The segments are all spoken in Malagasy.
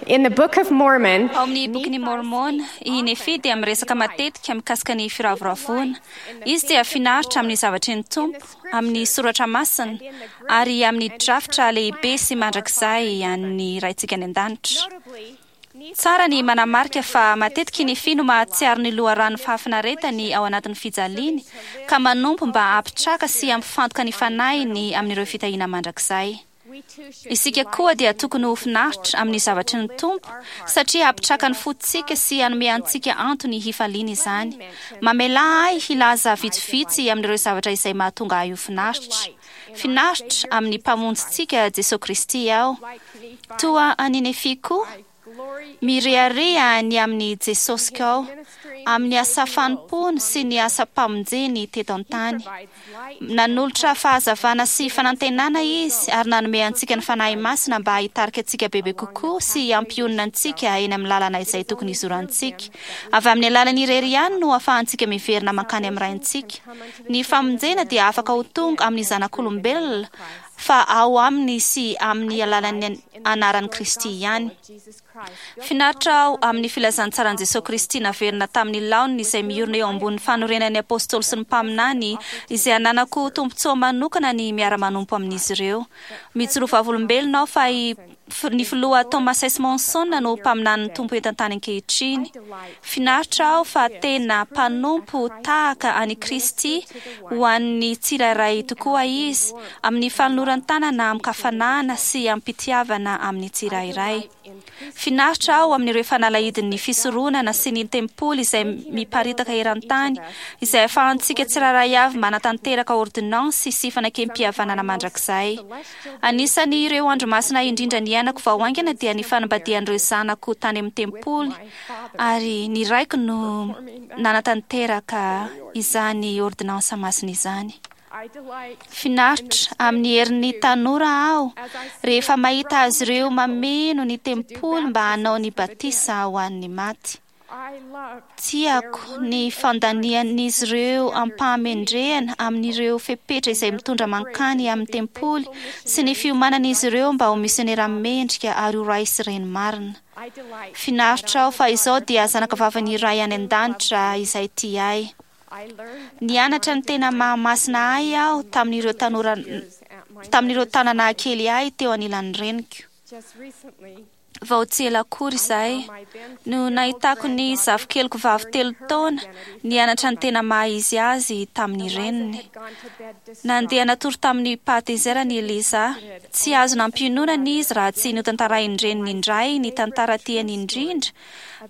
In the Book of Mormon, Ao amin'ny Bokin'i Môrmôna, i Nefia dia miresaka matetika mikasika ny firavoravoana. Izy dia finaritra amin'ny zavatry ny Tompo, amin'ny soratra masina, ary amin'ny drafitra lehibe sy mandrakizay an'ny Raintsika any An-danitra. Tsara ny manamarika fa matetika i Nefia no mahatsiaro ny loharanon'ny fahafinaretany ao anatin'ny fijaliany, ka manompo mba hampitraka sy hampifantoka ny fanahiny amin'ireo fitahiana mandrakizay. Isika koa dia tokony ho finaritra amin'ny zavatry ny Tompo, satria hampitraka ny fontsika sy hanome antsika antony hifaliana izany. Mamelà ahy hilaza vitsivitsy amin'ireo zavatra izay mahatonga ahy ho finaritra. Finaritra amin'ny Mpamonjintsika Jesoa Kristy aho. Toa an'i Nefia koa, Mirehareha ny amin'i Jesosy koa, amin'ny asa fanompoany sy ny asam-pamonjeny teto an-tany. Nanolotra fahazavana sy fanantenana Izy ary nanome antsika ny Fanahy Masina mba hitarika antsika bebe kokoa sy hampionona antsika eny amin'ny lalana izay tokony hizorantsika. Avy amin'ny alalany irery ihany no ahafahantsika miverina mankany amin'ny Raintsika. Ny famonjena dia afaka ho tonga amin'ny zanak'olombelona fa ao aminy sy amin'ny alalan'ny anaran'i Kristy ihany. Finaritra aho amin'ny filazantsaran'i Jesoa Kristy naverina tamin'ny laoniny izay miorina eo ambonin'ny fanorenan'ny Apôstôly sy ny mpaminany izay ananako tombontsoa manokana ny miara-manompo amin'izy ireo. Mijoro vavolombelona aho fa i Ny Filoha Thomas S. Monson no mpaminanin'ny Tompo eto an-tany ankehitriny. Finaritra aho fa tena mpanompo tahaka an'i Kristy ho an'ny tsirairay tokoa izy, amin'ny fanoloran-tanana amin-kafanana sy amim-pitiavana amin'ny tsirairay. Finaritra aho amin'ireo fanalahidin'ny fisoronana sy ny tempoly izay miparitaka eran-tany, izay ahafahantsika tsirairay avy manatanteraka ôrdônansy sy fanekempihavanana mandrakizay. Anisan'ny ireo andro masina indrindra niainako vao haingana dia ny fanambadian'ireo zanako tany amin'ny tempoly, ary ny raiko no nanatanteraka izany ôrdônansa masina izany. Finaritra amin'ny herin'ny tanora aho rehefa mahita azy ireo mameno ny tempoly mba hanao ny batisa ho an'ny maty. Tiako ny fandanian'izy ireo am-pahamendrehana amin'ireo fepetra izay mitondra mankany amin'ny tempoly sy ny fiomanan'izy ireo mba ho misionera mendrika ary ho ray sy reny marina. Finaritra aho fa izao dia zanakavavin'ny Ray any An-danitra izay tia ahy. Nianatra ny tena maha-masina ahy aho tamin'ireo tanora tamin'ireo taona nahakely ahy teo anilan'ny reniko. Vao tsy ela akory izay no nahitako ny zafikeliko vavy telo taona nianatra ny tena maha izy azy tamin'ny reniny. Nandeha natory tamin'ny pahatezerany i Eliza. Tsy azo nampiononana izy raha tsy notantarain-dreniny indray ny tantara tiany indrindra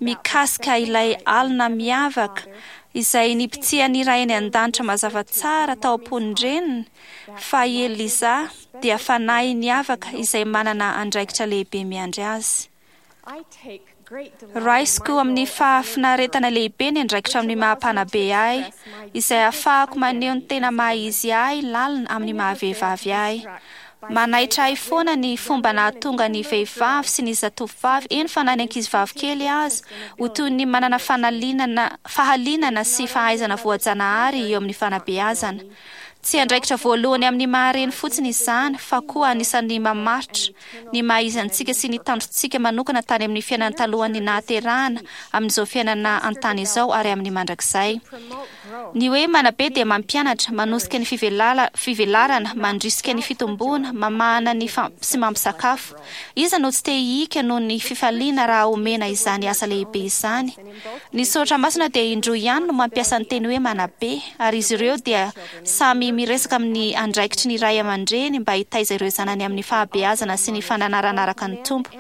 mikasika ilay alina miavaka izay nibitsihan'ny Ray any An-danitra mazava tsara tao am-pon-dreniny fa i Eliza dia fanahy niavaka izay manana andraikitra lehibe miandry azy. Raisiko amin'ny fahafinaretana lehibe ny andraikitra amin'ny maha-mpanabe ahy, izay ahafahako maneho ny tena maha-izy ahy lalina amin'ny maha-vehivavy ahy. Manaitra ahy foana ny fomba nahatonga ny vehivavy sy ny zatovovavy, eny fa na ny ankizivavy kely aza, ho toy ny manana fanalinana, fahalinana sy fahaizana voajanahary eo amin'ny fanabeazana. Tsy andraikitra voalohany amin'ny maha-reny fotsiny izany fa koa anisan'ny mamaritra ny maha-izy antsika sy ny tanjontsika manokana tany amin'ny fiainana talohan'ny nahaterahana, amin'izao fiainana an-tany izao ary amin'ny mandrakizay. Ny hoe manabe dia mampianatra, manosika ny fivelarana, mandrisika ny fitomboana, mamahana ny sy mampisakafo. Iza no tsy te hihika noho ny fifaliana raha omena izany asa lehibe izany? Ny soratra masina dia indroa ihany no mampiasa ny teny hoe manabe, ary izy ireo dia samy miresaka amin'ny andraikitry ny ray aman-dreny mba hitaiza ireo zanany amin'ny fahabeazana sy ny fananarana araka ny Tompo.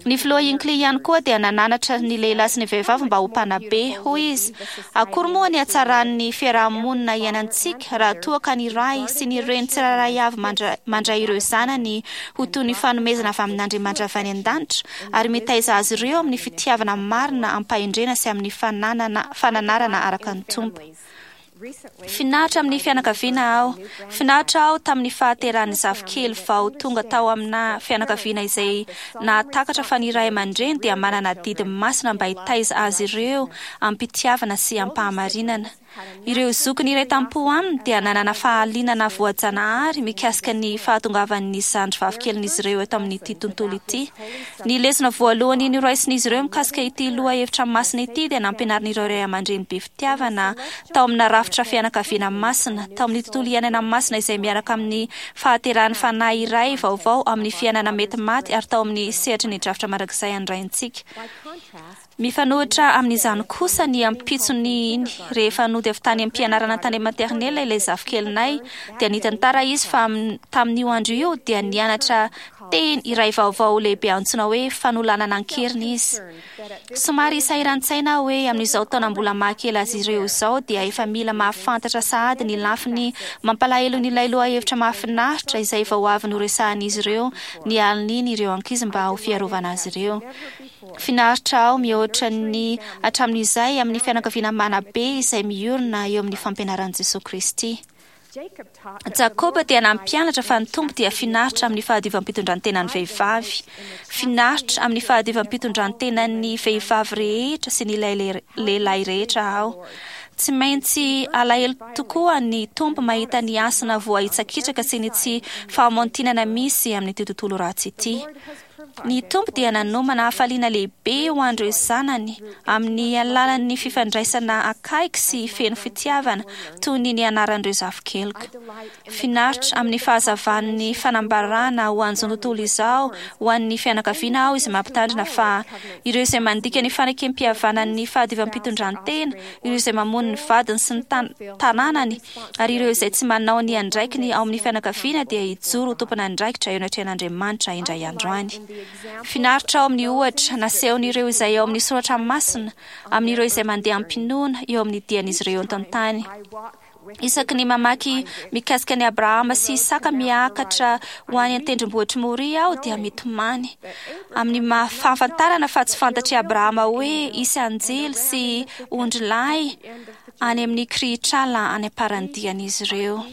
Ny Filoha Hinckley ihany koa dia nananatra ny lehilahy sy ny vehivavy mba ho mpanabe. Hoy izy, Akory moa ny hatsaran'ny fiaraha-monina iainantsika raha toa ka ny ray sy ny reny tsirairay avy mandray ireo zanany ho toy ny fanomezana avy amin'Andriamanitra avy any an-danitra ary mitaiza azy ireo amin'ny fitiavana marina am-pahendrena sy amin'ny fananana fananarana araka ny Tompo. Finaritra amin'ny fianakaviana aho. Finaritra aho tamin'ny fahaterahan'ny zafikely vao tonga tao amina fianakaviana izay nahatakatra fa ny ray aman-dreny dia manana adidy masina mba hitaiza azy ireo am-pitiavana sy am-pahamarinana. Ireo zokiny iray tampo aminy dia nanana fahalinana voajanahary mikasika ny fahatongavan'ny zandry vavikelin'izy ireo eto amin'ity tontolo ity. Ny lesona voalohany noraisin'izy ireo mikasika ity lohahevitra masina ity dia nampianarin'ireo ray aman-dreny be fitiavana tao amina rafitra fianakaviana masina, tao amin'ny tontolo iainana masina izay miaraka amin'ny fahaterahan'ny fanahy iray vaovao amin'ny fiainana mety maty ary tao amin'ny sehatry ny drafitra mandrakizay an'ny Raintsika. Mifanohitra amin'izany kosa ny ampitsony iny, rehefa nody avy tany am-pianarana tany maternelle ilay zafikelinay, dia nitantara izy fa tamin'io andro io dia nianatra teny iray vaovao lehibe antsoina hoe fanolanana an-keriny izy. Somary sahiran-tsaina aho hoe amin'izao taona mbola mahakely azy ireo izao dia efa mila mahafantatra sahady ny lafiny mampalahelon'ilay lohahevitra mahafinaritra izay vao avy noresahan'izy ireo ny alin'iny ireo ankizy mba ho fiarovana azy ireo. Finaritra aho mihoatra ny hatramin'izay amin'ny fianakaviana manabe izay miorina eo amin'ny fampianaran'i Jesoa Kristy. Jakoba dia nampianatra fa ny Tompo dia finaritra amin'ny fahadiovam-pitondrantenan'ny vehivavy. Finaritra amin'ny fahadiovam-pitondrantenan'ny vehivavy rehetra sy ny lehilahy rehetra aho. Tsy maintsy alahelo tokoa ny Tompo mahita ny hasina voahitsakitsaka sy ny tsy fahamontinana misy amin'ity tontolo ratsy ity. Ny Tompo dia nanomana hafaliana lehibe ho an'ireo zanany amin'ny alalan'ny fifandraisana akaiky sy feno fitiavana toy ny nianaran'ireo zafikeliko. Finaritra amin'ny fahazavan'ny fanambarana ho an'izao tontolo izao ho an'ny fianakaviana aho izay mampitandrina fa ireo izay mandika ny fanekem-pihavanan'ny fahadiovam-pitondrantena, ireo izay mamono ny vadiny sy ny tanànany, ary ireo izay tsy manao ny andraikiny ao amin'ny fianakaviana dia hijoro ho tompon'andraikitra eo anatrehan'Andriamanitra indray andro any. Finaritra ao amin'ny ohatra nasehon'ireo izay ao amin'ny soratra masina amin'ireo izay mandeha am-pinoana eo amin'ny dian'izy ireo eto an-tany. Isaky ny mamaky mikasika an'i Abrahama sy Isaka miakatra ho any an-tendrombohitr'i Moria aho dia mitomany amin'ny maha fahafantarana fa tsy fantatr'i Abrahama hoe hisy anjely sy ondrilahy any amin'ny kirihitrala any am-paran'ny dian'izy ireo.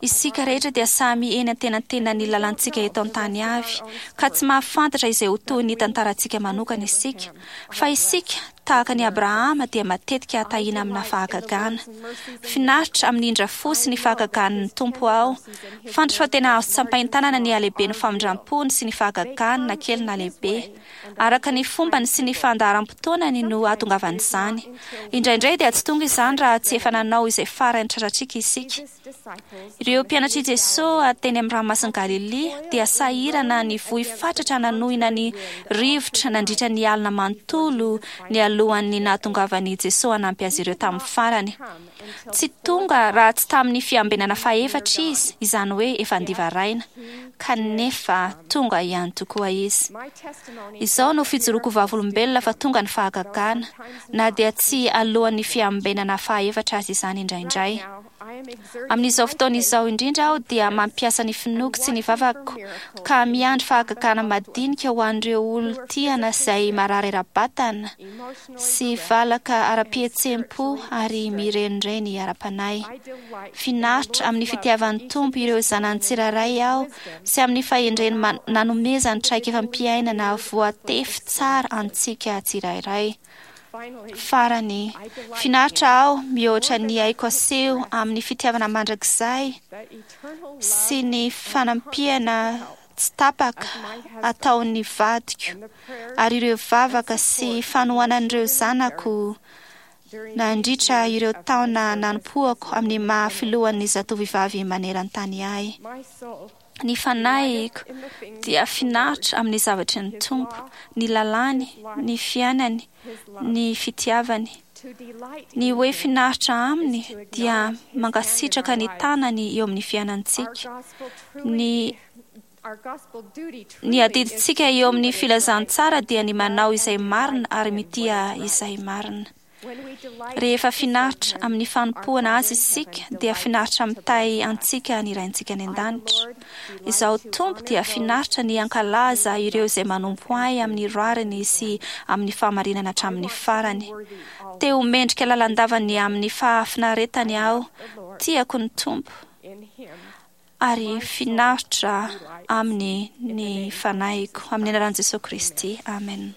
Isika rehetra dia samy eny antenantenan'ny lalantsika eto an-tany avy, ka tsy mahafantatra izay ho tohin'ny tantarantsika manokana isika. Fa isika, tahaka an'i Abrahama, dia matetika tahiana amina fahagagana. Finaritra amin'ny indra fo sy ny fahagagan'ny Tompo aho. Fantatro fa tena azo tsapain-tanana ny halehiben'ny famindrampony sy ny fahagagany na kely na lehibe. Araka ny fombany sy ny fandaharam-potoanany no ahatongavan'izany. Indraindray dia tsy tonga izany raha tsy efa nanao izay farany tratratsika isika. Ireo mpianatr'i Jesoa teny amin'ny ranomasin'i Galilia dia sahirana nivoy fatratra nanohina ny rivotra nandritra ny alina manontolo nialohan'ny nahatongavan'i Jesoa hanampy azy ireo tamin'ny farany. Tsy tonga raha tsy tamin'ny fiambenana fahefatra izy, izany hoe efa andivaraina. Kanefa tonga ihany tokoa izy. Izao no fijoroako vavolombelona fa tonga ny fahagagana, na dia tsy alohan'ny fiambenana fahaefatra aza izany indraindray. Amin'izao fotoana izao indrindra aho dia mampiasa ny finoako sy ny vavako ka miandry fahagagana madinika ho an'ireo olon-tiana izay marary ara-batana sy valaka ara-pihetseham-po ary mirenireny ara-panahy. Finaritra amin'ny fitiavan'ny Tompo ireo zanany tsirairay aho sy amin'ny fahendreny nanomezany traikefam-piainana voatefy tsara antsika tsirairay. Farany, finaritra aho mihoatra ny aiko aseho amin'ny fitiavana mandrakizay sy ny fanampiana tsy tapaka ataon'ny vadiko ary ireo vavaka sy fanohanan'ireo zanako nandritra ireo taona nanompoako amin'ny maha filohan'ny zatovovavy maneran-tany ahy. Ny fanahiko dia finaritra amin'ny zavatry ny Tompo, ny lalàny, ny fiainany, ny fitiavany. Ny hoe finaritra aminy dia mankasitraka ny tanany eo amin'ny fiainantsika. Ny Ny adidintsika eo amin'ny filazantsara dia ny manao izay marina ary mitia izay marina. Rehefa finaritra amin'ny fanompoana Azy isika dia finaritra mitahy antsika ny Raintsika any An-danitra. Izaho Tompo dia finaritra ny hankalaza ireo izay manompo Ahy amin'ny rariny sy amin'ny fahamarinana hatramin'ny farany. Te ho mendrika lalandava ny amin'ny fahafinaretany aho. Tiako ny Tompo ary finaritra Aminy ny fanahiko. Amin'ny anaran'i Jesoa Kristy. Amen.